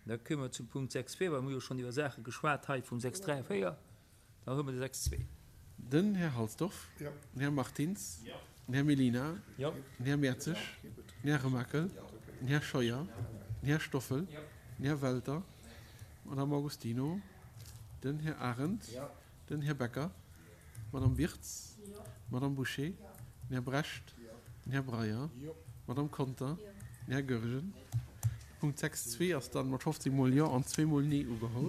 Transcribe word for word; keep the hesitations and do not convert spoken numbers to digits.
Da komme mer zum Punkt sechs zwee, well mir hu jo schonn iwwer Saache geschwat hei vum sechs dräi a véier. Da hu mer de sechs zwee. Den Här Halsdorf. Den Här Martins. Den Här Mellina. Den Här Mertzig. Den Här Remakel. Den Här Scheuer. Den Här Stoffel. Den Här Welter. D'Madame Augustino. Den Här Arendt. Den Här Becker. D'Madame Wirtz. D'Madame Bouché. Den Här Brecht. Den Här Breyer. D'Madame Conter. Den Här Goergen. De Punkt sechs zwee ass dann mat fofzéng Mol Jo an zwee Mol Nee ugeholl.